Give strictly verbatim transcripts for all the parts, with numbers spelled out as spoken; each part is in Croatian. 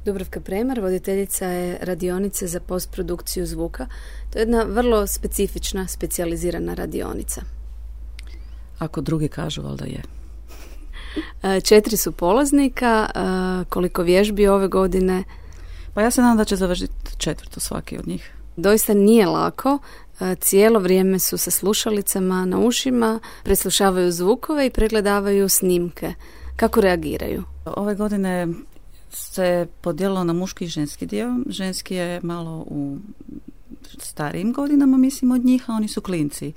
Dubravka Premar, voditeljica je radionice za postprodukciju zvuka. To je jedna vrlo specifična, specijalizirana radionica. Ako drugi kažu, valjda je. Četiri su polaznika, koliko vježbi ove godine? Pa ja se nadam da će završiti četvrtu svaki od njih. Doista nije lako. Cijelo vrijeme su sa slušalicama na ušima, preslušavaju zvukove i pregledavaju snimke. Kako reagiraju? Ove godine se podijelilo na muški i ženski dio. Ženski je malo u starijim godinama, mislim, od njih, a oni su klinci.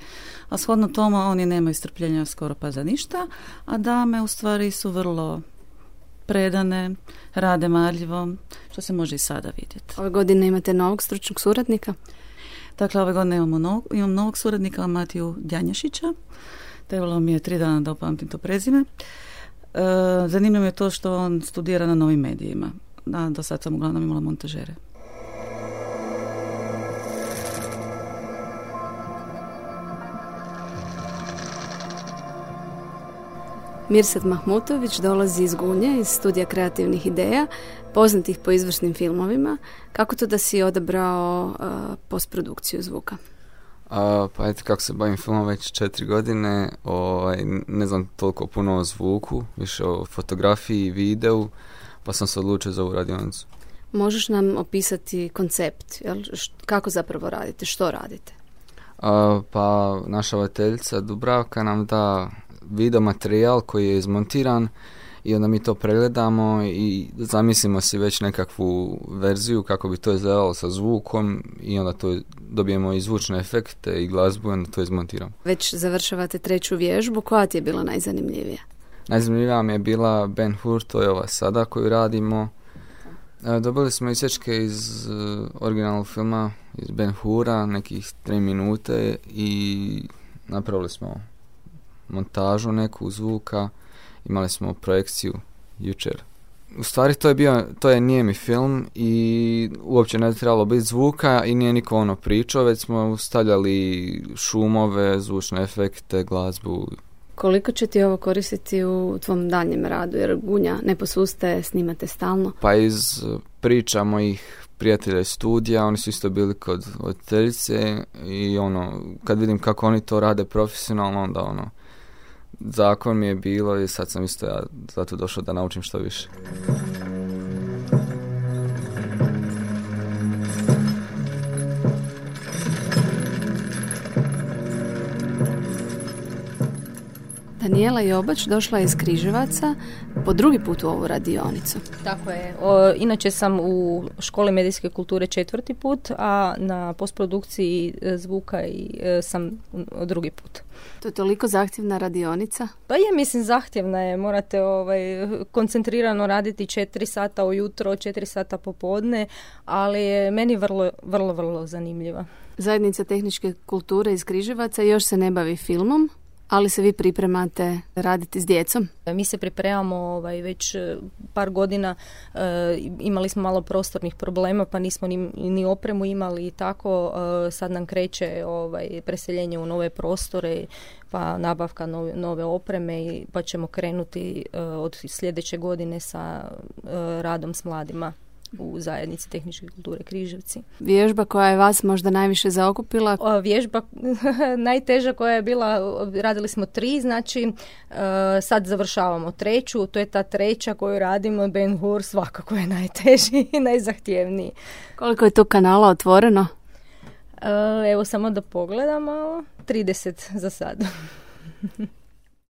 A shodno tome oni nemaju strpljenja skoro pa za ništa, a dame u stvari su vrlo predane, rade marljivo, što se može i sada vidjeti. Ove godine imate novog stručnog suradnika? Dakle, ove godine imamo novog, imam novog suradnika, Matiju Djanjašića. Trebalo mi je tri dana da upamtim to prezime. E, zanimljivo je to što on studira na novim medijima. Da, do sad sam uglavnom imala montažere. Mirsad Mahmutović dolazi iz Gunje, iz studija kreativnih ideja, poznatih po izvršnim filmovima. Kako to da si odabrao uh, postprodukciju zvuka? A, pa eto, kako se bavim filmom već četiri godine, ovaj, ne znam toliko puno o zvuku, više o fotografiji i videu, pa sam se odlučio za ovu radionicu. Možeš nam opisati koncept, jel? Kako zapravo radite, što radite? A, pa naša voditeljica Dubravka nam da video materijal koji je izmontiran i onda mi to pregledamo i zamislimo si već nekakvu verziju kako bi to izgledalo sa zvukom i onda to dobijemo i zvučne efekte i glazbu i onda to izmontiramo. Već završavate treću vježbu, koja ti je bila najzanimljivija? Najzanimljivija mi je bila Ben Hur, to je ova sada koju radimo. Dobili smo isječke iz uh, originalnog filma, iz Ben Hura, nekih tri minute i napravili smo montažu neku zvuka, imali smo projekciju jučer. U stvari to je bio, to je nijemi film i uopće ne trebalo biti zvuka i nije niko ono pričao, već smo stavljali šumove, zvučne efekte, glazbu. Koliko će ti ovo koristiti u tvom daljnjem radu, jer Gunja ne posustaje, snimate stalno? Pa iz priča mojih prijatelja iz studija, oni su isto bili kod voditeljice i ono, kad vidim kako oni to rade profesionalno, onda ono, zakon mi je bilo i sad sam isto ja zato došao da naučim što više. Danijela Jobač došla je iz Križevaca po drugi put u ovu radionicu. Tako je. O, inače sam u školi medijske kulture četvrti put, a na postprodukciji zvuka i, e, sam drugi put. To je toliko zahtjevna radionica? Pa je, mislim, zahtjevna je. Morate ovaj, koncentrirano raditi četiri sata ujutro, četiri sata popodne, ali je meni vrlo, vrlo, vrlo zanimljiva. Zajednica tehničke kulture iz Križevaca još se ne bavi filmom, ali se vi pripremate raditi s djecom? Mi se pripremamo ovaj, već par godina, e, imali smo malo prostornih problema, pa nismo ni, ni opremu imali i tako. E, sad nam kreće ovaj, preseljenje u nove prostore, pa nabavka nove, nove opreme, i, pa ćemo krenuti e, od sljedeće godine sa e, radom s mladima u zajednici tehničke kulture Križevci. Vježba koja je vas možda najviše zaokupila? O, vježba najteža koja je bila, radili smo tri, znači uh, sad završavamo treću, to je ta treća koju radimo, Ben Hur, svakako je najteži i najzahtjevniji. Koliko je tu kanala otvoreno? Uh, evo samo da pogledamo, trideset za sad.